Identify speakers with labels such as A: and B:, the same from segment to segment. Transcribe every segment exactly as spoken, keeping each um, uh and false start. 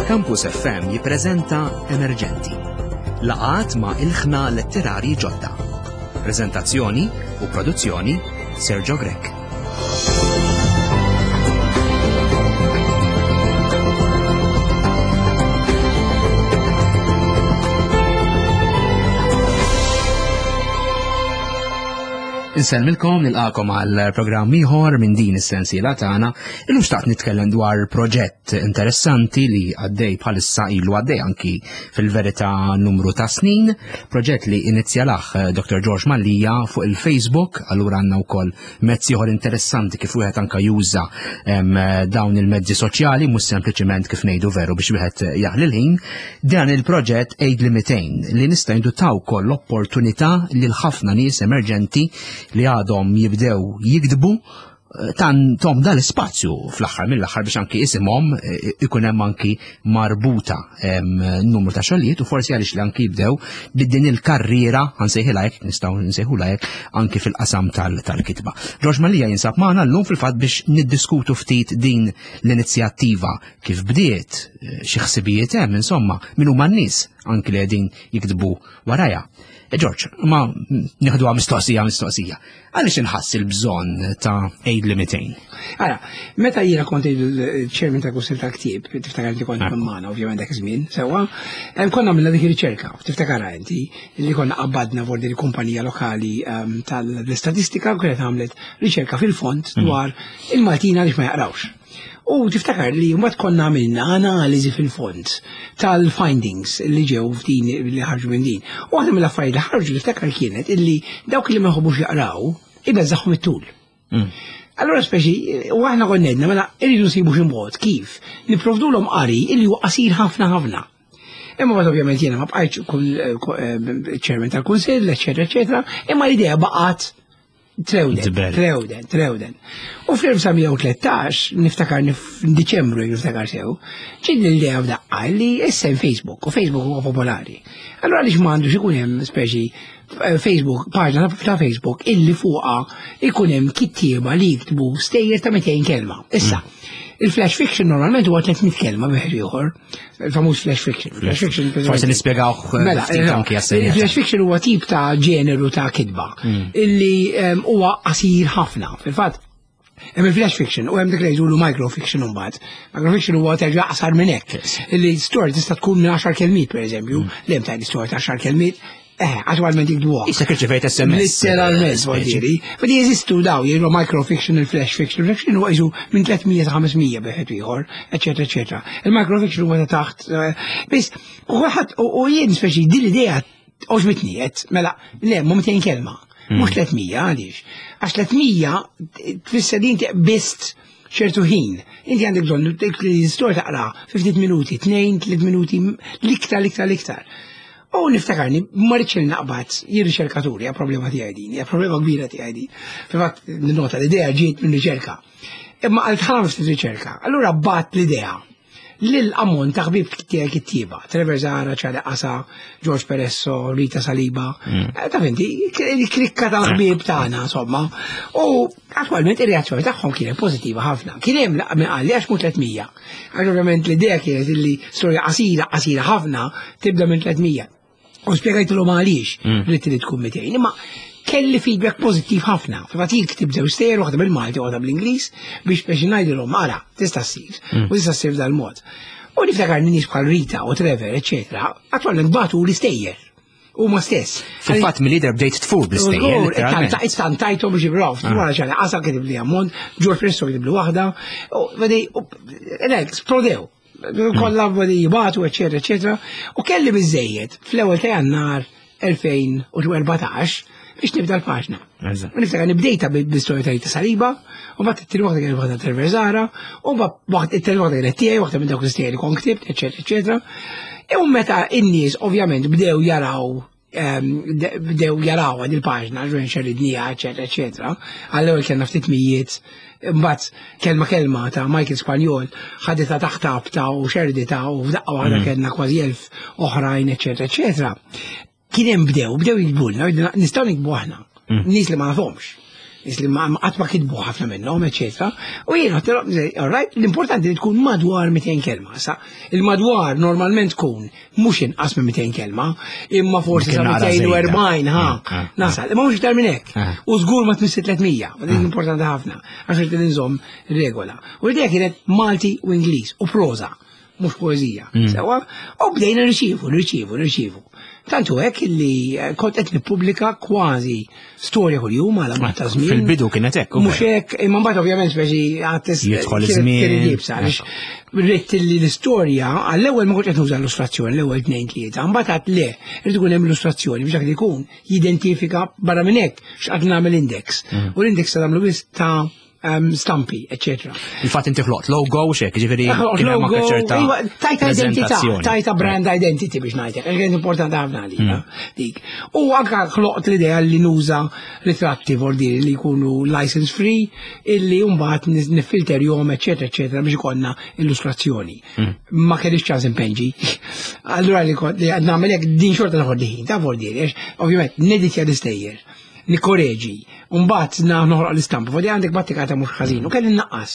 A: Campus F M jippreżenta Emerġenti. Laqgħat ma' ilħna letterari ġodda. Prezentazzjoni u produzzjoni Sergio Grech. Insellmilkom, nilqagħkom għal programm ieħor minn din is-sensiela tagħna. Illum xtaqt nitkellem dwar proġett interessanti li għaddej bħalissa, ilu għaddej anki fil-verità numru ta' snin, proġett li inizjalah eh, Doctor George Mallia fuq il-Facebook. Allura għandna wkoll mezzi ieħor interessanti kif wieħed anka juża em, dawn il-mezzi soċjali, mhux sempliċiment, kif ngħidu veru, biex wieħed jaħli l-ħin. Dan il-proġett Għidli Mitejn li nista' ngħidu ta wkoll l-opportunità lil ħafna nies emerġenti li għadhom jibdew jiktbu eh, tahom dal-ispazju fl-aħħar mill-aħħar biex anki isimhom eh, ikun hemm anki marbuta em, numru ta' xogħlijiet u forsi għaliex li anki jibdew bid-din il-karriera, ħa nsejħilha hekk, nistgħu nsejħulha hekk, anki fil-qasam tal- tal-kitba. George Mallia jinsab magħna llum fil-fatt biex niddiskutu ftit din l-inizjattiva, kif bdiet, eh, xi ħsibijiet hemm, insomma, min huma n-nies anki li qegħdin jiktbu warajha. E George, ma nieħduha mistoqsija mistoqsija. Għaliex inħass il-bżonn ta' Għidli Mitejn?
B: Ara, meta jiena kont il-chairman ta' Kunsill tal-Ktieb, tiftakar inti kont magħna ovvjament dak iż-żmien, sewwa, em, konna għamilna dik ir-riċerka, tiftakarha inti, li konna qabbadna vor il kumpanija lokali em, tal-istatistika u kienet għamlet riċerka fil-fond dwar il-Maltin għaliex ma jaqrawx. U tiftakar li mbagħad konna għamilna analiżi fil-fond tal-findings li ġew f'din, li ħarġu minn din. U waħda mill-affarijiet li ħarġu, tiftakar, kienet illi dawk li ma jħobbux jaqraw ibeżżagħhom it-tul. Allora speċi, u aħna konna għedna, mela irridu nsibu xi mod kif nipprovdulhom qari illi huwa qasir ħafna ħafna. Imma mbagħad ovvjament jiena ma bqajtx kun eh, chairman tal-kunsill, eċetera, eċetera, imma l-idea baqgħet trewden,
A: Tibel.
B: trewden, trewden. U fl-elf disa' mija u tlettax, niftakar f'Diċembru, niftakar sew, ġiet l-idea f'daqqa li issa hemm Facebook, u Facebook huwa popolari. Allora għaliex m'għandux ikun hemm speċi eh, Facebook, paġna ta' Facebook illi fuqha ikun hemm kittieba li jiktbu stejjer ta' mitejn kelma? Issa, il-flash fiction normalment huwa tliet mitt kelma bieħ ieħor, il-famuż flash fiction. Flash fiction.
A: Forsi nispjegaw eh,
B: Mela,
A: ftit
B: eh,
A: anki għas-senjata.
B: Il-flash fiction huwa tip ta' ġeneru ta' kitba illi em, huwa qasir ħafna. Fil-fatt, hemm il-flash fiction u hemm dik li jgħidulu microfiction imbagħad. Microfiction huwa terġa' qasar minn hekk. Illi story tista' tkun minn għaxar kelmiet, pereżempju, li hemm tajt story ta' għaxar kelmiet, eh, attwalment jikdbuha.
A: Issa irċevejt S M S.
B: Literalment,
A: eh,
B: voldiri. Fadi jeżistu daw, jgħidu microfiction, il-flash fiction. Il-flash fiction huwa jiġu minn tliet mija sa ħames mija bieħed ieħor, eċetera, eċetera. Il-microfiction huwa ta' taħt. eh, Biss, u ħadd u jien speċi din l-idea għoġbitni qed, mela, le, mhu mitejn kelma. Mhux tliet mija, għaliex? Għax tliet mija tfisser li inti qbist ċertu ħin. Inti għandek bżonn dik li storja taqra fi ftit minuti, tnejn, tliet minuti, l-iktar, l-iktar, l-iktar. U niftakarni, ma rridx naqbad jien riċerkaturi, hija problema tiegħi din, hija problema kbira tiegħi din. Fil-fatt, nota l-idea ġiet minn riċerka. Imma għal tħaram ftit riċerka. Allura bgħatt l-idea lil ammont ta' ħbieb tiegħi kittieba, Trevor Zahra, Charlie Qasa, George Peresso, Rita Saliba, eh, ta' finti, il-klikka tal-ħbieb tagħna, insomma. U attwalment ir-reazzjoni tagħhom kienet pożittiva ħafna. Kien hemm min qal li għax mhux tliet mija. Għax ovvjament l-idea kienet illi storja qasira, qasira ħafna, tibda minn tliet mija. U spjegajtilhom għaliex rrid li tkun mitejn. Imma kelli feedback pożittiv ħafna. Fil-fatt jien ktibt żewġ stejjer, waħda bil-Malti u waħda bl-Ingliż, biex biex ngħidilhom ara, tista' ssir u tista' ssir dal-mod. U niftakar nies bħal Rita u Trevor, eċetera, attwalment bagħtu l-istejjer. Huma stess.
A: Fil-fatt mill-lider bdejt tfur bl-istejjer, literalment.
B: Istantajtom biex jibraw, wara ċana, Qasa kitib li ammont, George Presto kitib li waħda, u vedi, u esplodew. Kollha vedi jibagħtu, eccetera, eccetera. U kelli biżejjed fl-ewwel ta' Jannar elfejn u erbatax biex nibda l-paġna.
A: Eżatt.
B: U niftakar nibdejta bil-istorja ta' Rita Saliba, u mbagħad it-tieni waħda kienet waħda Trevor Zahra, u mbagħad it-tieni waħda kienet tiegħi, waħda minn dawk l-istejjer li kont ktibt, eċetera, eċetera. U meta in-nies ovvjament bdew jaraw em, de- bdew jaraw għad il-paġna, ġwen xerridnija, eċetera, eċetera. Għall-ewwel kellna ftit mijiet, mbagħad Kelma Kelma ta' Michael Spanjol ħaditha taħt abta u xerdita u f'daqqa waħda kellna kważi elf oħrajn, eċetera, eċetera. Kien hemm bdew, bdew jiktbulna, nistgħu nikbu aħna. Nies li ma nafhomx. Nies li ma qatt ma kitbu ħafna minnhom, eċetera. U jien all right, l-importanti li tkun madwar mitejn kelma. Sa il-madwar normalment tkun mhux inqas minn mitejn kelma, imma forsi sa mitejn u erbgħin ha nasal. Imma mhux iktar minn hekk. U żgur ma tmissi tliet mija, dik importanti ħafna, għax irid inżomm regola. U l-idea kienet Malti u Ingliż u proża, mhux poeżija. Sewa, u bdejna nirċievu, nirċievu, nirċievu. Tantu hekk illi kont qed nippubblika kważi storja kuljum għal ammont ta' żmien.
A: Fil-bidu kienet hekk.
B: Mhux hekk, imma mbagħad ovvjament speċi għad
A: Jidħol iż-żmien.
B: Għaliex ridt li l-istorja għall-ewwel ma kontx qed nuża illustrazzjoni, l-ewwel tnejn tlieta, mbagħad għad le, irid ikun hemm illustrazzjoni biex dak li jkun jidentifika barra minn hekk x'qed nagħmel index. U l-index se nagħmlu biss ta' stampi, eccetera.
A: Il-fatt inti ħloqt logo u xek, ġifieri kien hemm anke ċerta
B: tajta identità, tajta brand identity biex ngħidlek, kien importanti ħafna għalija dik. U anke ħloqt l-idea li nuża ritratti vordiri li jkunu license free, illi mbagħad nifilterjhom, eccetera, eccetera, biex ikollna illustrazzjoni. Ma kellix ċans impenġi. Allura li kont li nagħmel hekk din xorta noħod ħin, ta' vordiri, għax ovvjament neditja l-istejjer, nikkoreġi, mbagħad noħroq l-istampa, fodi għandek battikata mhux ħażin, u kelli nnaqqas.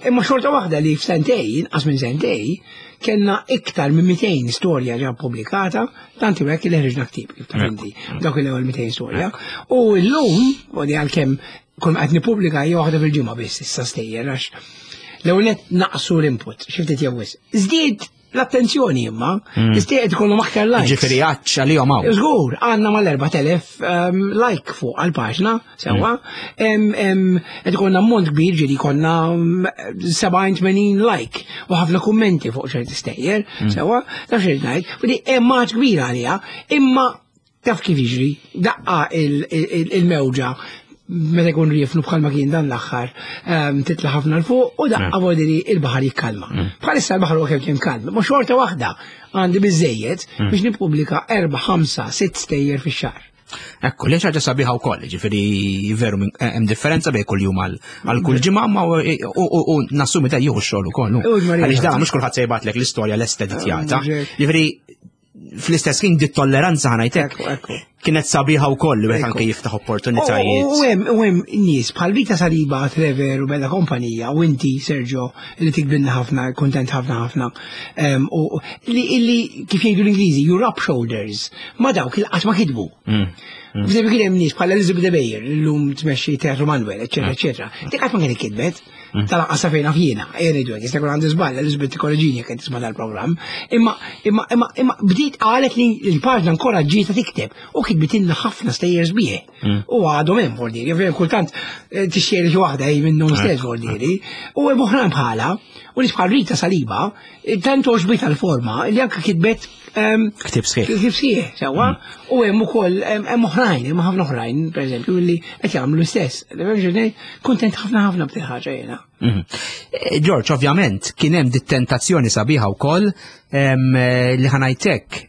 B: Imma xorta waħda li f'sentej, inqas minn sentej, kellna iktar minn mitejn storja ġa pubblikata, tanti hekk li ħriġna ktieb, kif taf inti, dawk l-ewwel mitejn storja. U llum, fodi għalkemm kull qed nippubblika hija waħda fil-ġimgħa biss issa stejjer, għax l-ewwel nett naqsu l-input, xi ftit jew wisq. Żdied l-attenzjoni imma, istejjer ikollhom aktar likes.
A: Ġifieri għatx għalihom hawn.
B: Żgur, għandna mal-erbat elef like fuq għall-paġna, sewwa. Qed ikollna ammont kbir, ġieli konna sebgħin tmenin like u ħafna kummenti fuq ċerti stejjer, sewwa, taf xi ngħid. U di hemm għatx kbir għaliha, imma taf kif jiġri, daqqa il-mewġa meta jkun riefnu bħalma kien dan l-aħħar, titla' ħafna l fuq u daqqa vodili il-baħar jikkalma. Bħalissa l-baħar huwa kemm kien kalm, ma xorta waħda għandi biżejjed biex nippubblika erba', ħamsa, sitt stejjer fix-xahar.
A: Ekku, li ħaġa sabiħa wkoll, ġifieri veru hemm differenza bejn kull jum għal kull ġimgħa, ma u nassumi da jieħu x-xogħol ukoll. Għaliex da mhux kulħadd se jibgħatlek l-istorja lest editjata. Ġifieri fl-istess ħin di tolleranza ħanajtek kienet sabiħa wkoll li wieħed anke jiftaħ opportunitajiet.
B: U hemm u hemm nies bħal Vita Saliba, Trevor u Bella Kompanija u inti Sergio li tikbilna ħafna, kontent ħafna ħafna. U li kif jgħidu l-Ingliżi, you rub shoulders ma dawk il qatt ma kitbu. F'eżempju kien hemm nies bħal Elizabeth Bayer llum tmexxi Teatru Manuel, eċetera, eċetera. Dik qatt ma kienet kitbet. Tal-anqas fejn naf jiena, ejja ngħidu hekk, jista' jkun għandi żball, Elizabeth tikkoreġini jekk qed tisma' dal-programm. Imma imma imma imma bdiet qalet li l-paġna nkoraġġietha tikteb u kitbitilna ħafna stejjer sbieħ. U għadhom hemm vordiri, ovvjament kultant tixxieri xi waħda hi minnhom stess vordiri. U hemm oħrajn bħala, u nies bħal Rita Saliba, tant għoġbitha l-forma li anke kitbet
A: Ktib sħiħ.
B: Ktib sħiħ, sewwa. U hemm ukoll hemm oħrajn, hemm ħafna oħrajn, pereżempju, li qed jagħmlu l-istess. Kuntent ħafna ħafna b'din ħaġa jiena.
A: George, ovvjament, kien hemm dit tentazzjoni sabiħa wkoll li ħanajtek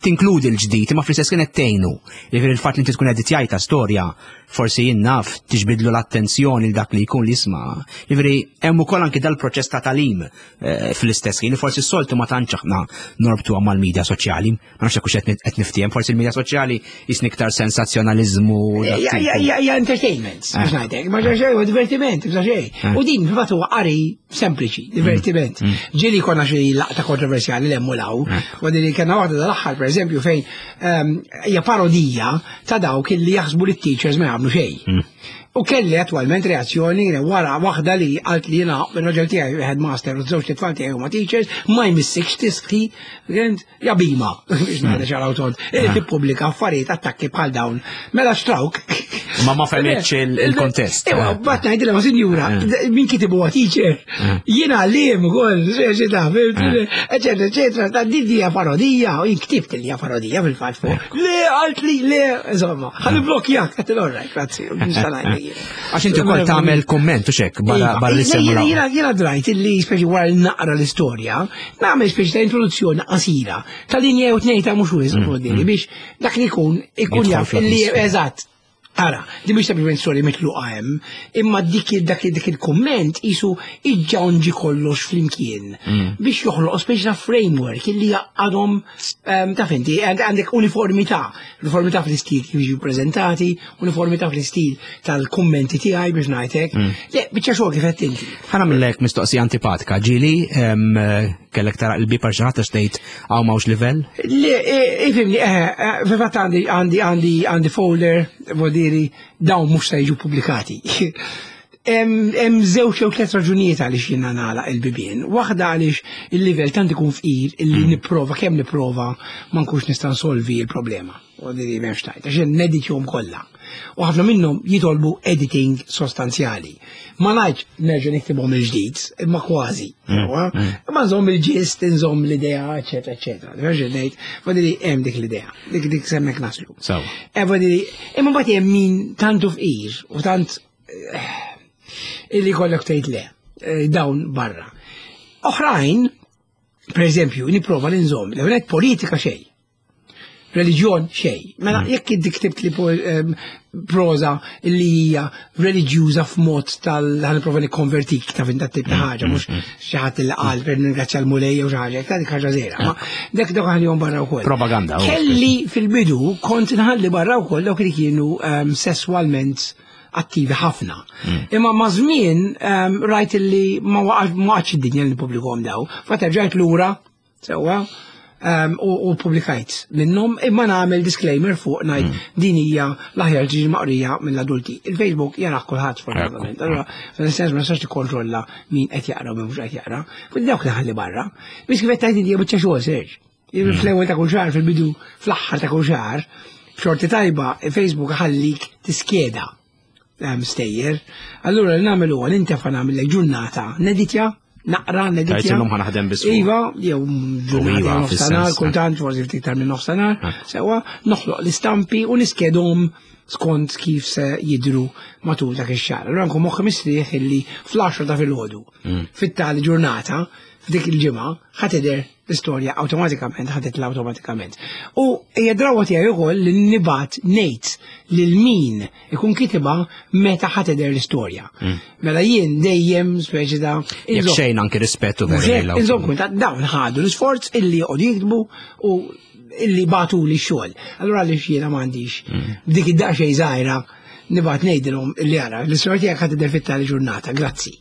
A: tinkludi l-ġdid, imma fl-istess kienet tgħinu. Jiġifieri il-fatt li inti tkun qed tgħidha storja, forsi jien naf tiġbidlu l-attenzjoni l dak li jkun li jisma'. Jiġifieri hemm ukoll anki dal-proċess ta' talim fl-istess ħin li forsi s-soltu ma tantx aħna norbtuha mal-medja soċjali. Ma nafx hekk hux qed niftiehem, forsi l-medja soċjali jisni iktar sensazzjonaliżmu.
B: Ja entertainment, biex ngħidlek, ma xejn huwa divertiment, biex xejn. U din fil-fatt huwa qari sempliċi, divertiment. Ġieli konna xi laqta kontroversjali l-hemm u law, u din kellna waħda dal-aħħar pereżempju fejn hija parodija ta' dawk illi jaħsbu li t-teachers ma jagħmlu xejn. U kelli attwalment reazzjoni wara waħda li qalt li jiena ir-raġel tiegħi headmaster u żewġ tfal tiegħi huma teachers, ma jmissikx tisħi, ja bima, biex ngħidha ċara u tond, tippubblika affarijiet attakki bħal dawn. Mela xtrawk.
A: Ma ma fehmitx il-kontest.
B: Ewa, bat ngħidilha ma sinjura, min kitibu huwa teacher. Jiena għalliem ukoll, xi taf, eċetera, eċetera, ta' din hija parodija, u jien ktibt li hija parodija fil-fatt fuq. Le, qalt li, le, insomma, ħalli blokjak, qed il-orrajt, grazzi, nista' ngħidlek.
A: Għax inti wkoll tagħmel kumment u xek, barra li semmu
B: Jiena jiena drajt illi speċi wara li naqra l-istorja, nagħmel speċi ta' introduzzjoni qasira ta' linja jew tnejn ta' mhux wisq biex dak li jkun ikun jaf illi eżatt. Ara, di mhix sempliċement storja mitluqa hemm, imma dik dak dik il-kumment isu iġġawnġi kollox flimkien biex joħloq speċi ta' framework illi għadhom taf inti għandek uniformità, uniformità fl-istil kif jiġu preżentati, uniformità fl-istil tal-kummenti tiegħi biex ngħidlek. Le, biċċa xogħol kif qed inti.
A: Ħa nagħmillek mistoqsija antipatika, ġieli kellek tagħlaq il-bieb għal xi ħadd għax tgħid hawn m'hawnx livell?
B: Le, ifhimni, eh, fil-fatt għandi għandi għandi għandi folder, vuol dawn mhux se jiġu pubblikati. Hemm żewġ jew tliet raġunijiet għaliex jiena nagħlaq il-bibien. Waħda għaliex il-livell tant ikun fqir illi nipprova kemm nipprova ma nkunx nista' nsolvi l-problema. U di m'hemmx tajt, għax neditjahom kollha. U ħafna minnhom jitolbu editing sostanzjali. Ma ngħidx nerġa' niktibhom il-ġdid, imma kważi. Imma nżomm il-gist, nżomm l-idea, eċetera, eċetera. Nerġa' ngħid, vuol hemm dik l-idea, dik dik semmek naslu.
A: Sew.
B: E vuol imma mbagħad hemm min tantu fqir u tant illi kollok tgħid le, dawn barra. Oħrajn, per eżempju, nipprova li nżomm, l politika xejn. Reliġjon xejn. Mela jekk inti ktibt li proza li hija reliġjuża f'mod tal ħa nipprova nikkonvertik ta' fin tip ta' ħaġa, mhux xi ħadd li qal per ningrazzja l-Mulej jew xi ħaġa, dik ħaġa żgħira. Ma dak dak ħallihom barra wkoll.
A: Propaganda.
B: Kelli fil-bidu kont nħalli barra wkoll dawk li kienu sesswalment attivi ħafna. Imma ma' żmien rajt li ma waqgħatx id-dinja li nippubblikhom daw. Faterġajt lura, sewwa, u publikajt minnhom imma nagħmel disclaimer fuq ngħid din hija l-aħjar ġiġi maqrija mill-adulti. Il-Facebook jarah kulħadd fortunatament. Allura fil-sens ma nistax tikkontrolla min qed jaqra u min mhux qed jaqra. Quindi dawk li ħalli barra. Biss kif qed tgħid inti biċċa xogħol Serġ. Fl-ewwel ta' kull xahar, fil-bidu fl-aħħar ta' kull xahar, b'xorti tajba Facebook ħallik tiskeda stejjer. Allura li nagħmel huwa nintefa' nagħmel ġurnata neditja, naqra, neditja.
A: Tgħid illum ħa naħdem biss.
B: Iva, jew ġurnata nofstanhar, kultant forsi ftit iktar minn nofstanhar, sewwa noħloq l-istampi u niskedhom skont kif se jidru matul dak ix-xahar. Allura nkun moħħi mistrieħ illi fl-għaxra ta' filgħodu fit-tali ġurnata f'dik il-ġimgħa ħa tidher l-istorja awtomatikament, ħa titla' awtomatikament. U hija drawa tiegħi wkoll li nibgħat ngħid lil min ikun kitibha meta ħa tidher l-istorja. Mela jien dejjem speċi ta'
A: Jekk xejn anki rispettu
B: veru. Inżomm kun ta' dawn ħadu l-isforz illi joqogħdu jiktbu u illi bagħtu li x-xogħol. Allura għaliex jiena m'għandix dik id-daqsxejn żgħira nibgħat ngħidilhom illi ara l-istorja tiegħek ħa tidher fit-tali ġurnata, grazzi.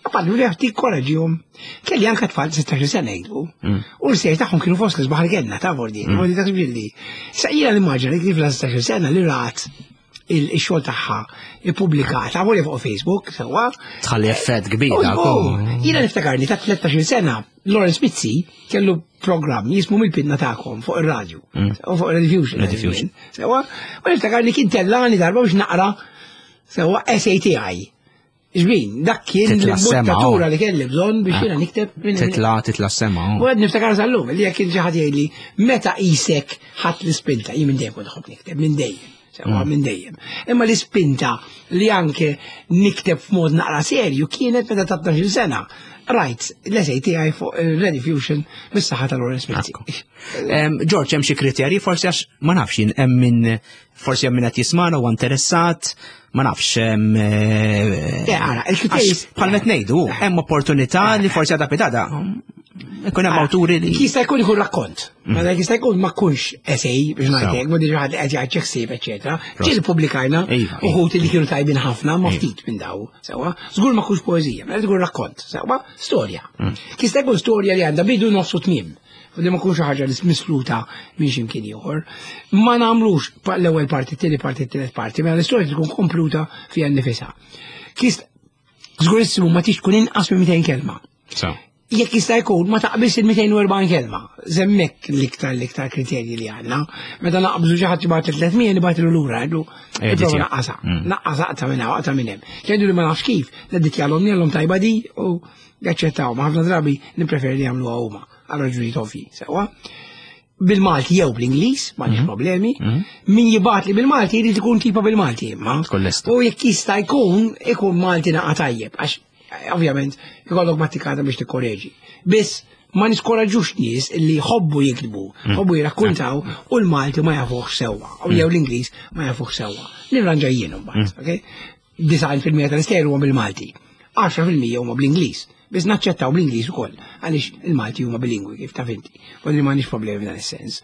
B: Għapallu li għafti koraġijom. Kelli anka tfal sittax-il sena jgħidu. U l-sejr tagħhom kienu fost l-isbaħ li kellna ta' vordi. Vordi ta' ġilli. Sa jiena l-immaġina li tifla sittax-il sena li rat il-xogħol tagħha ippubblikat għavolja fuq Facebook, sewwa.
A: Tħalli effett kbir.
B: Jiena niftakarni ta' tlettax-il sena Lawrence Mizzi kellu programm jismu mill-pinna tagħkom fuq ir-radju. U fuq Rediffusion.
A: Rediffusion.
B: Sewwa. U niftakarni kien tellani darba biex naqra sewwa S A T I. Ġbin, dak kien l-imbottatura li kelli bżonn biex jiena nikteb.
A: Titla, titla sema.
B: U għed niftakar sal-lum, li jekk kien xi ħadd jgħidli meta qisek ħadd l-ispinta, jien minn dejjem kont nħobb nikteb, minn dejjem. Sewwa minn dejjem. Imma l-ispinta li anke nikteb f'mod naqra serju kienet meta ta' tnax-il sena. Rajt, l-essay tiegħi fuq Rediffusion bis-saħħa tal-Lawrence Mizzi.
A: George, hemm xi kriterji forsi għax ma nafx jien hemm min forsi hemm min qed jismana u interessat, ma nafx hemm.
B: Ara, il-kriterji
A: bħal qed ngħidu, hemm opportunità li forsi għadha pitada. Ikun hemm awturi li.
B: Jista' jkun ikun rakkont. Mela jista' jkun ma jkunx essay biex ngħidlek, ma diġà ħadd qed jgħid xi ħsieb, eċetera. Ġieli pubblikajna uħud li kienu tajbin ħafna ma ftit minn daw, sewwa. Żgur ma jkunx poeżija, mela tkun rakkont, sewwa, storja. Jista' jkun storja li għandha bidu nofsu tmiem. U li ma jkunx ħaġa li misluta minn xi mkien ieħor. Ma nagħmlux l-ewwel parti, t-tieni parti, t-tielet parti, mela l-istorja tkun kompluta fiha nnifisha. Żgurissimu ma tix tkun inqas minn mitejn kelma. Jekk jista' jkun ma taqbilx il-mitejn u erbgħin kelma. Żemmek l-iktar l-iktar kriterji li għandna. Meta naqbżu xi ħadd jibgħat tliet mija nibgħatlu lura ngħidlu ipprova naqqasha. Naqqasha aqta' minn hawn, aqta' minn hemm. Jgħidu li ma nafx kif, l-editjalhom jgħallhom tajba di u jaċċettaw. Ma ħafna drabi nippreferi li jagħmluha huma għal raġunijiet ovvji. Sewwa. Bil-Malti jew bl-Ingliż, m'għandix problemi. Min jibgħat li bil-Malti jrid ikun tipa bil-Malti imma. U jekk jista' jkun ikun Malti naqa' tajjeb għax ovvjament ikollok mattikata biex tikkoreġi. Biss ma niskoraġġux nies li jħobbu jiktbu, jħobbu jirrakkuntaw u l-Malti ma jafuħ sewwa, u jew l-Ingliż ma jafuħ sewwa. Nirranġa jien mbagħad, ok? Disgħin fil-mija tal-istejjer huma bil-Malti, għaxra fil-mija huma bl-Ingliż. Biss naċċettaw bl-Ingliż ukoll, għaliex il-Malti huma bilingwi kif taf inti. U li m'għandix problemi f'dan is-sens.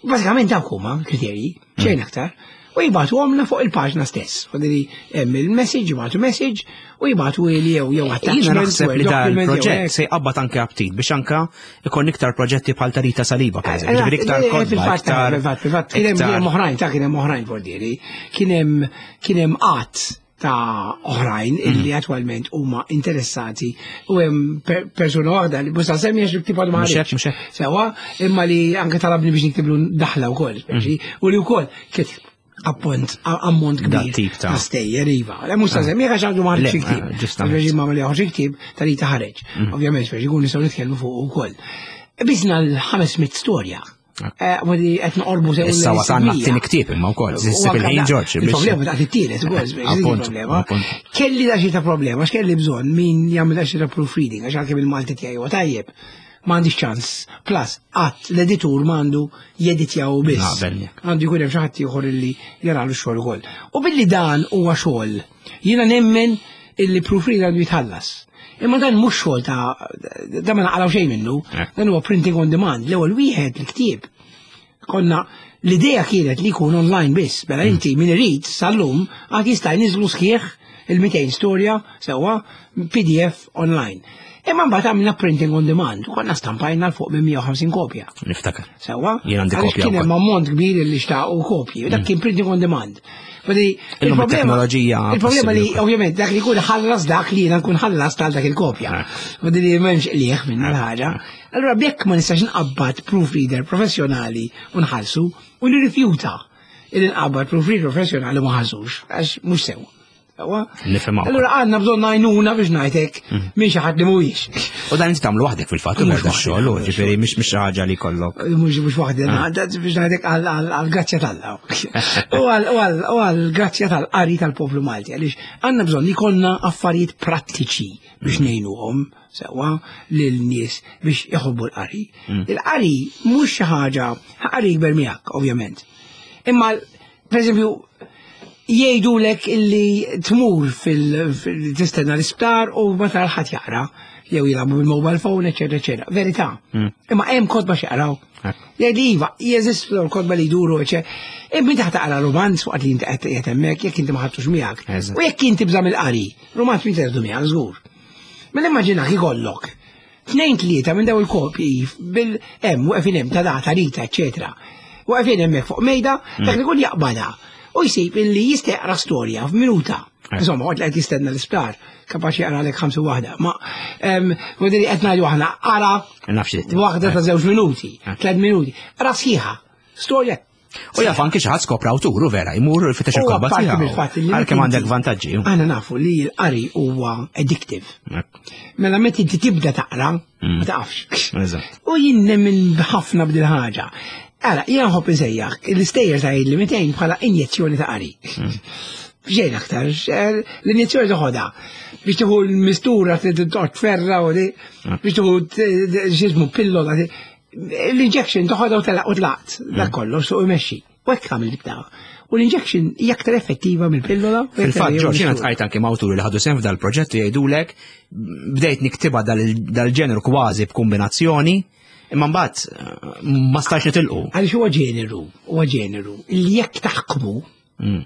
B: Bażikament dawk huma kriterji, xejn aktar, u jibagħtu għomna fuq il-paġna stess. U li hemm il-message, jibagħtu message u jibagħtu li jew jew
A: Jiena
B: attachment,
A: naħseb
B: jew
A: li dan
B: document, jew
A: il-proġett
B: hekk.
A: se jqabbad anke aptit biex anka ikun iktar proġetti bħal ta' Rita Saliba, per eżempju. Ġifieri iktar
B: Eh,
A: kotba,
B: fil-fatt,
A: iktar.
B: fil-fatt, fil-fatt, kien hemm- kien hemm oħrajn, ta' kien hemm oħrajn fordieri, kien hemm kien hemm qatt ta' oħrajn illi attwalment huma interessati u hemm per- persuna waħda li busta semmi għax tipo ma
A: Mhux hekk,
B: ħareġ.
A: mhux hekk.
B: Sewwa, imma li anke talabni biex niktiblu daħla wkoll, speċi, u li wkoll kif appunt ammont
A: Da
B: kbir
A: tip ta'
B: ta' stejjer iva. Le mhux ta' semmi għax għandu ma
A: Le,
B: ħareġ ktieb.
A: eh, ġustament.
B: Speċi ma li ħareġ ktieb ta' li taħareġ. Ovvjament speċi jkun nistgħu nitkellmu fuq ukoll. Biżna l-ħames mitt storja. Eh, u li qed noqorbu sew
A: Issa
B: lejn
A: wasalna
B: sibmija.
A: t-tieni ktieb imma wkoll,
B: U
A: issib
B: anka
A: il-ħin
B: da-
A: Ġorġ biex-
B: Il-problema ta' t-tielet ukoll, speċi, dik
A: Appunt,
B: il-problema.
A: appunt.
B: Kelli da xi ta' problema, għax kelli bżonn min jagħmel da xi ta' proofreading, għax għalkemm il-Malti tiegħi huwa tajjeb. M'għandix ċans. Plus, qatt l-editur m'għandu jeditjaw biss.
A: Naqbel miegħek.
B: Għandu jkun hemm xi ħadd ieħor illi jaralu x-xogħol ukoll. U billi dan huwa xogħol, jiena nemmen illi proofreader għandu jitħallas. Imma dan mhux xogħol ta' da ma naqalgħu xejn minnu,
A: Eh.
B: dan huwa printing on demand. L-ewwel wieħed il-ktieb konna l-idea kienet li jkun online biss, mela inti min irid sal-lum għad jista' jniżlu sħiħ il-mitejn storja sewwa P D F online. Imma mbagħad għamilna printing on demand u konna stampajna 'l fuq minn mija u ħamsin kopja.
A: Niftakar.
B: Sewwa?
A: Jien għandi
B: Għaliex
A: kopja
B: kien hemm
A: wkoll.
B: ammont kbir li xtaqu kopji, u dak kien printing on demand. Vedi,
A: Illum
B: il-problema-
A: it-teknoloġija
B: Il-problema li,
A: possibbli wkoll.
B: ovvjament, dak li jkun ħallas dak li jiena nkun ħallas tal dak il-kopja.
A: Eh.
B: Vedi li m'hemmx qliegħ minna l-ħaġa. Allura jekk ma nistax nqabbad proofreader professjonali u nħallsu u nirrifjuta il nqabbad proofreader professjonali ma ħallsux, għax mhux sew. Sewwa?
A: Nifhem hawn.
B: Allura għandna bżonn għajnuna biex ngħidlek minn xi ħadd li mhuwiex.
A: U dan inti tagħmlu waħdek fil-fatt,
B: Mhux
A: mhux da xogħol,
B: waħdi,
A: ġifieri mhix mhix xi ħaġa li kollok.
B: Mhux mhux waħdi, biex ngħidlek għal-grazzja t'Alla. U għal-grazzja tal-qari tal-poplu Malti, għaliex għandna bżonn li jkollna affarijiet prattiċi biex ngħinuhom sewwa lil-nies biex iħobbu l-qari. Il-qari mhux xi ħaġa, qari jikber miegħek, ovvjament. Imma, per eżempju, jgħidulek illi tmur fil-tistenna l-isptar u ma tara ħadd jaqra, jew jilagħbu bil-mobile phone, eċetera, eċetera. Verità. Imma hemm kotba x'jaqraw. Jgħid iva, jeżistu l-kotba li jduru, eċetera. Imma inti taqra romanz waqt li inti qed qiegħed hemmhekk jekk inti ma ħadtux miegħek.
A: Eżatt.
B: U jekk inti bżam il-qari, romanz min terdu miegħek żgur. Mela immaġinak ikollok tnejn tlieta minn daw il-kopji bil hemm waqfin hemm ta' data Rita, eċetera. Waqfin hemmhekk fuq mejda, dak li jkun jaqbadha u jsib illi jista' jaqra storja f'minuta.
A: Eh.
B: Insomma, waqt li qed jistenna l-isptar, kapaċi jaqra lek ħamsa waħda. Ma vuol qed ngħidu aħna qara
A: Nafx li
B: waħda ta' żewġ minuti, tliet minuti, qra sħiħa, storja.
A: U jaf anki xi ħadd skopra awturu vera, jmur jfittex
B: U
A: il-kotba
B: apparti
A: tiegħu.
B: mill-fatt li
A: Għalkemm
B: inti-
A: għandek vantaġġi.
B: Aħna nafu li l-qari huwa addictive. Mela meta inti tibda taqra, ma taqafx.
A: Eżatt.
B: U jien nemmen ħafna b'dil ħaġa. Ara, jien nħobb insejjaħ, l-istejjer ta' li mitejn bħala injezzjoni ta' qari. Xejn aktar, l-injezzjoni toħodha biex tieħu l-mistura toqgħod tferra u di, biex tieħu x'ismu pillola. L-injection toħodha u telaq u tlaqt, dak kollox suq imexxi. U hekk għamil dik ta' U l-injection hija aktar effettiva mill-pillola. u aktar
A: Fil-fatt,
B: hija
A: Ġorġ, jiena
B: mill-mistura.
A: tqajt anke ma' awturi li ħadu sehem f'dal-proġett u jgħidulek bdejt niktiba dal-ġeneru kważi b'kombinazzjoni, imma mbagħad eh, ma stajtx nitilqu.
B: Għaliex huwa ġeneru, huwa ġeneru, li jekk taħkmu,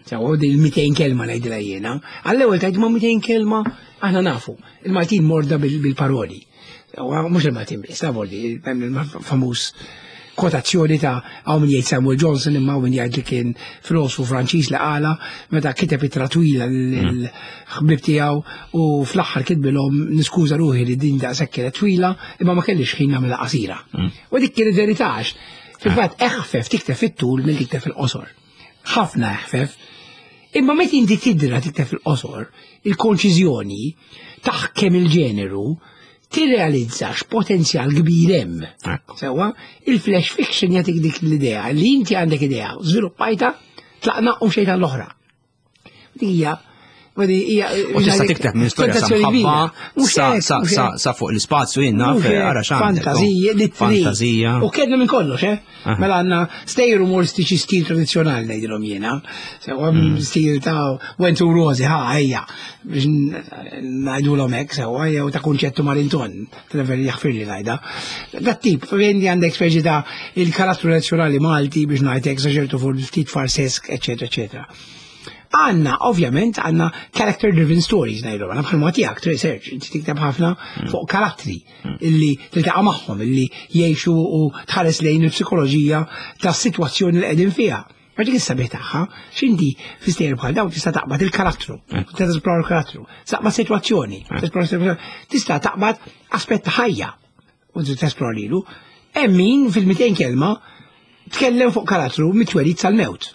B: sewa din il-mitejn kelma ngħidilha jiena, għall-ewwel tgħid ma mitejn kelma aħna nafu, il-Maltin morda bil- bil-paroli. Sewa mhux il-Maltin biss, ta' voldi, hemm il-famuż kwotazzjoni ta' hawn min jgħid Samuel Johnson imma hawn min jgħid li kien filosofu Franċiż li qala meta kiteb ittra twila l-ħbib tiegħu u fl-aħħar kitbilhom niskuża ruħi li din daqshekk kienet twila imma ma kellix ħin nagħmilha qasira. U dik kienet verità għax fil-fatt eħfef tikteb fit-tul mill tikteb fil-qosor. Ħafna eħfef. Imma meta inti tidra tikteb fil-qosor, il-konċiżjoni taħkem il-ġeneru, tirrealizza x'potenzjal kbir hemm.
A: Ekku.
B: Sewwa, il-flash fiction jagħtik dik l-idea li inti għandek idea, żviluppajta, tlaqna u xejn l-oħra. Dik hija
A: U tista' tikteb minn storja sa mħabba sa fuq l-ispazju jien naf ara x'għandek.
B: Fantazija,
A: Fantazija.
B: U kellna minn kollox, eh? Mela għandna stejjer umoristiċi stil tradizzjonali ngħidilhom jiena. Sewwa stil ta' Wentu Rosi, ħa ejja biex ngħidulhom hekk sewwa jew ta' Kunċettu Marinton, Trevor jaħfirli ngħidha. Dat tip, fejn għandek speċi ta' il-karattru nazzjonali Malti biex ngħidlek sa ċertu fuq ftit farsesk, eċetera, eċetera. Għanna, ovvjament, għanna character-driven stories ngħidu, għanna bħal tiegħek, research, inti tikteb ħafna fuq karattri illi tiltaqa' magħhom, illi jgħixu u tħares lejn il-psikoloġija ta' situazzjoni li qegħdin fiha. Ma dik is-sabiħ tagħha, x'inti fi stejjer bħal dawn tista' taqbad il-karattru, tista' tesplora il-karattru, taqbad sitwazzjoni, tista' taqbad aspett ta' ħajja u tesplora lilu. Hemm min fil-mitejn kelma tkellem fuq karattru mit-twelid sal-mewt.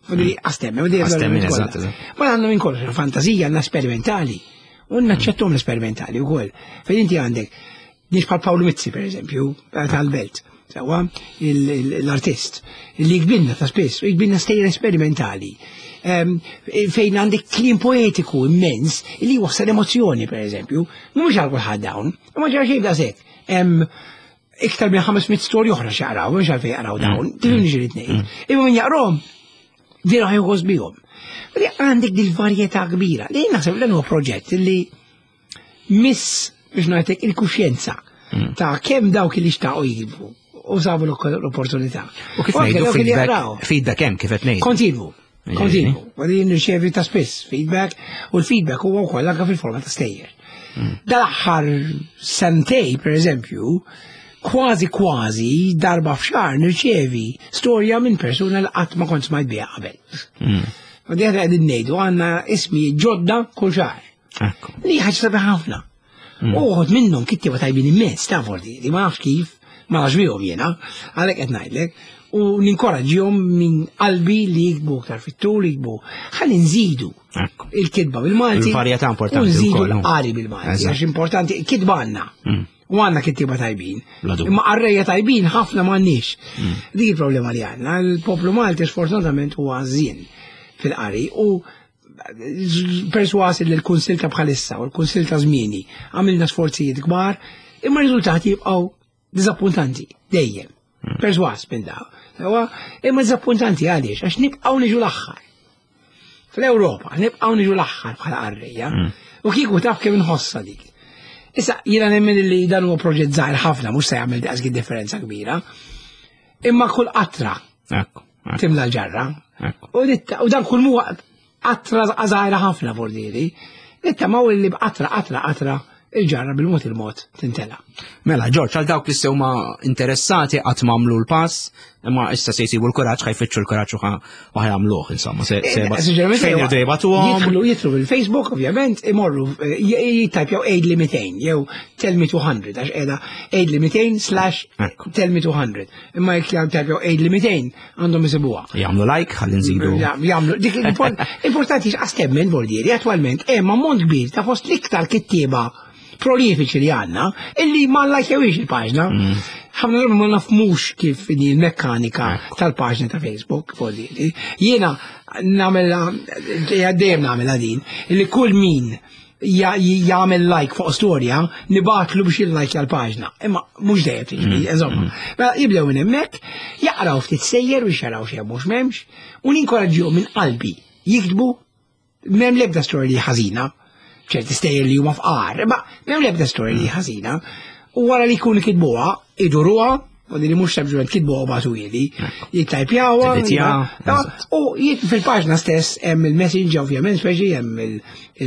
B: Għastemmi, u Ma għandna minn kollox, fantazija, għandna sperimentali. U naċċettom l-sperimentali u koll. Fejn inti għandek, nies bħal Paolo Mizzi, per eżempju, tal-Belt, sewwa, l-artist, li jiktbilna ta' spiss, jiktbilna stejjer esperimentali. Fejn għandek kliem poetiku immens, li wassal emozjoni, per eżempju, mhux għal kulħadd dawn, ma ġara xejn daqshekk. Iktar minn ħames mitt storja oħra x'jaqraw, mhux għalfejn jaqraw dawn, tifhimni xi ngħid. Imma min jaqrahom, vera ħa jħoss bihom. Għandek dil-varjetà kbira. Li naħseb dan huwa proġett li miss biex ngħidlek il-kuxjenza ta' kemm dawk li xtaqu jiktbu u sabu l-opportunità.
A: U kif ngħidu feedback, feedback hemm kif qed ngħidu.
B: Kontinwu. Kontinwu. Għadin nirċevi ta' spiss feedback u l-feedback huwa wkoll anke fil-forma ta' stejjer. Dal-aħħar sentej, per eżempju, kważi kważi darba f'xahar nirċevi storja minn persuna li qatt ma kont smajt biha qabel. U di qegħdin ngħidu għandna ismi ġodda kull xahar. Li ħaġa sabiħ ħafna. U uħud minnhom kittieba tajbin immens ta' forti, li ma nafx kif, ma nafx bihom jiena, għalhekk qed ngħidlek, u ninkoraġġihom minn qalbi li jiktbu aktar fit-tul, jiktbu. Ħalli nżidu il-kitba bil-Malti.
A: Il-varjetà importanti.
B: U nżidu l-qari bil-Malti, għax importanti, kitba għandna. U għandna kittieba tajbin. Imma qarrejja tajbin ħafna m'għandniex. Dik il-problema li għandna. Il-poplu Malti sfortunatament huwa żien fil-qari u perswas li l-Kunsill ta' bħalissa u l-Kunsill ta' żmieni għamilna sforzijiet kbar, imma r-riżultati jibqgħu diżappuntanti dejjem. Perswas minn daw. Imma diżappuntanti għaliex għax nibqgħu niġu l-aħħar. Fl-Ewropa nibqgħu niġu l-aħħar bħala qarrejja. U kieku taf kemm inħossha dik. Issa, jiena nemmen li dan huwa proġett żgħir ħafna, mhux se jagħmel daqs differenza kbira. Imma kull qatra timla l-ġarra. U dan kull huwa qatra żgħira ħafna fordieri. Nittamaw li b'qatra qatra qatra il-ġarra bil-mod il-mod tintela.
A: Mela, Ġorġ, għal dawk li se huma interessati qatt m'għamlu l-pass, imma issa se jsibu l-kuraġġ, ħa jfittxu l-kuraġġ u ħa jagħmluh, insomma. Fejn irdu jibgħatuhom?
B: Jidħlu jidħlu fil-Facebook, ovvjament, imorru jittajpjaw Għidli mitejn jew Tell me two hundred, għax qiegħda Għidli mitejn slash Tell me two hundred. Imma jekk jittajpjaw Għidli mitejn għandhom isibuha.
A: Jagħmlu like, ħalli nżidu.
B: Jagħmlu. Dik importanti x'qas temmen voldieri, attwalment hemm ammont kbir ta' fost l-iktar kittieba prolifiċi li għandna, illi ma lajkjawix il-paġna. Ħafna drabi ma nafmux kif inhi l-mekkanika tal-paġna ta' Facebook, voldieri. Jiena nagħmilha, dejjem nagħmilha din, illi kull min jagħmel like fuq storja, nibatlu biex il-like għal-paġna. Imma mhux dejjem tiġri, insomma. Mela jibdew minn hemmhekk, jaqraw ftit sejjer biex jaraw x'hemm mhux m'hemmx, u ninkoraġġihom minn qalbi jiktbu m'hemm l-ebda storja li ħażina. Ċerti stejjer li huma fqar, imma m'hemm l-ebda storja li ħażina. U wara li jkunu kitbuha, iduruha, u li mhux sempliċement kitbuha u bagħtu ili, jittajpjawha, u fil-paġna stess hemm il-messenger, ovvjament, speċi hemm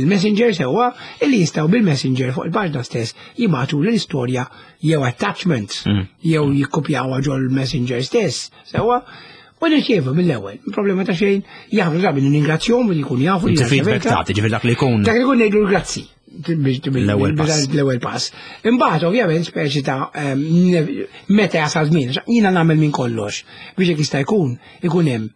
B: il-messenger sewwa, illi jistgħu bil-messenger fuq il-paġna stess jibgħatu l-istorja jew attachment, jew jikkopjawha ġol messenger stess, sewwa. U nirċievu mill-ewwel, problema ta' xejn, jafu drabi ningrazzjahom u jkun jafu li.
A: Inti feedback tagħti, ġifier dak li jkun.
B: Dak li jkun ngħidlu grazzi.
A: L-ewwel pass.
B: L-ewwel pass. Imbagħad ovvjament speċi ta' meta jasal żmien, jiena nagħmel minn kollox biex jekk jista' jkun ikun hemm.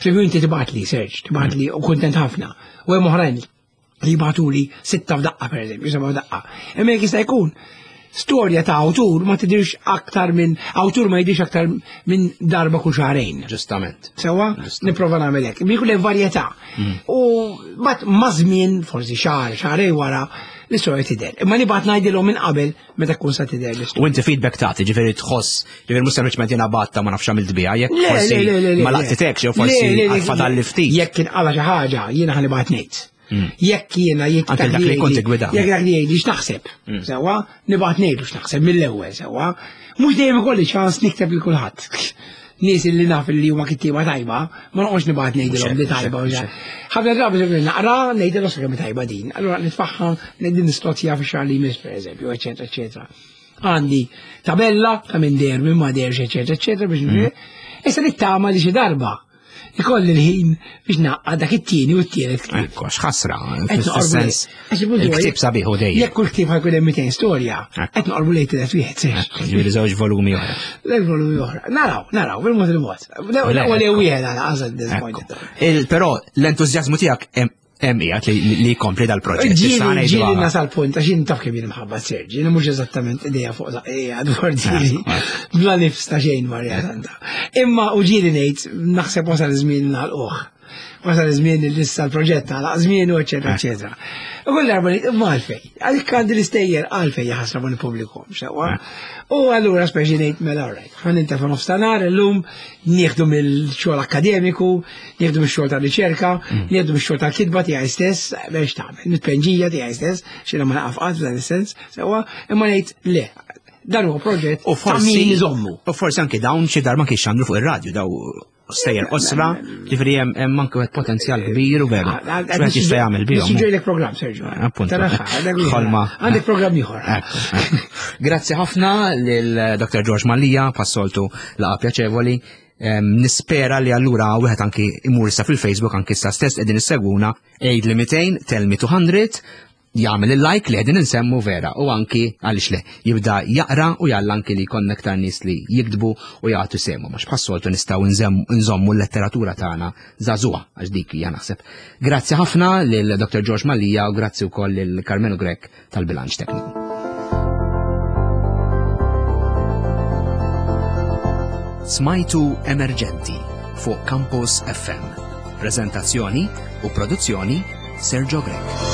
B: Per inti tibgħatli search, tibgħatli u kuntent ħafna. U hemm oħrajn li jibgħatuli sitta f'daqqa pereżempju, seba' f'daqqa. Imma jekk jista' jkun Storja ta' awtur ma tidirx aktar minn, awtur ma jidirx aktar minn darba kull xahrejn.
A: Ġustament.
B: Sewa, nipprova nagħmel hekk. Bi jkun hemm varjetà.
A: Mm.
B: U bat ma' żmien, forsi xahar, xahrejn wara, l-istorja tidher. Imma nibgħat ngħidilhom minn qabel meta tkun sa tidher l-istorja.
A: U inti feedback tagħti, ġifieri tħoss, ġifieri mhux sempliċement jiena batta ma nafx għamilt biha, jekk
B: Le,
A: forsi
B: le, le, le, le,
A: ma
B: le.
A: laqtitekx jew forsi
B: Le, le, le,
A: għad li ftit.
B: Jekk kien qala xi ħaġa, jiena ħa nibgħat ngħid. Jekk jiena jekk
A: Anke dak li kont tiggwida.
B: Jekk dak li jgħidli x'naħseb. Sewwa, nibgħat ngħidlu x'naħseb mill-ewwel, sewwa. Mhux dejjem ikolli ċans nikteb lil kulħadd. Nies li naf li huma kittieba tajba, ma noqgħodx nibgħat ngħidilhom li tajba u
A: mhux hekk.
B: Ħafna drabi se naqra ngħidilhom kemm tajba din. Allura nitfaħħa ngħidil nistozzja fix-xahar li jmiss pereżempju, eċetera, eċetera. Għandi tabella ta' minn der, minn ma derx, eċetera, eċetera, biex mm. Issa nittama li xi darba ikolli l-ħin biex naqqa dak it-tieni u t-tielet ktieb.
A: Ekku, x'ħasra,
B: Qed noqorbu
A: fis-sens.
B: għax il-puntu huwa
A: Il-ktieb sabiħ u dejjem.
B: Jekk kull ktieb ħa jkun hemm mitejn storja,
A: Ekku.
B: qed noqorbu lejn tielet wieħed sex.
A: Ekku, Ġifieri żewġ volumi oħra.
B: Lejn volumi oħra. Naraw, naraw, bil-mod il-mod.
A: Le,
B: L-ewwel
A: ekku.
B: wieħed għala għażel
A: Ekku.
B: disappointed.
A: Il- Però l-entużjażmu tiegħek hemm hemm qiegħed li li jkompli dal-proġett. Issa
B: Ġieli
A: ngħidu
B: ġieli
A: għala.
B: nasal punt, għax jien taf kemm jien mħabba Serġi, jien mhux eżattament idea fuq żaqija dwar ġieli, bla nifs ta' xejn Marja Santa. Imma u ġieli ngħid naħseb wasal iż-żmien nagħlquh. Wasal iż-żmien li issa l-proġett għalaq żmien u eċetera eċetera. U kull darba ngħid imma għalfejn, għalik għandi l-istejjer għalfejn jaħasra ma nippubblikhom sewwa. U allura speċi ngħid mela alright, ħa nintefa' nofs ta' nhar illum nieħdu mill-xogħol akkademiku, nieħdu mix-xogħol ta' riċerka, nieħdu mix-xogħol ta' kitba tiegħi stess, biex tagħmel, nitpenġija tiegħi stess, x'inha ma naqaf qatt f'dan is-sens, sewwa, imma ngħid le, dan huwa proġett
A: U
B: ta'
A: forsi
B: min iżommu.
A: U forsi anke dawn xi darba kien xandru fuq ir-radju daw stejjer qosra, ġifieri hemm hemm anke wieħed potenzjal kbir u veru. X'wieħed jista' jagħmel bihom.
B: Nissuġġerilek programm, Sergio.
A: Appunto.
B: Taraha, dak li-
A: Ħolma.
B: Għandek programm ieħor.
A: Ekku, ekku. Grazzi ħafna lil Dr. George Mallia, passoltu laqa pjaċevoli. Em, Nispera li allura wieħed anki imur issa fil-Facebook anki issa stess qegħdin issegwuna għid li mitejn tell me two hundred jagħmel il-like li qegħdin insemmu vera u anki għaliex le jibda jaqra u jalla anki li jkollna aktar nies li jiktbu u jagħtu semu għax bħas-soltu nistgħu nżemm- nżommu l-letteratura tagħna żagħżugħa għax dik hija naħseb. Grazzi ħafna lil Dr. George Mallia u grazzi wkoll lil Carmelo Grech tal-bilanċ tekniku. Smajtu Emerġenti fuq Campus F M. Prezentazzjoni u produzzjoni Sergio Grech.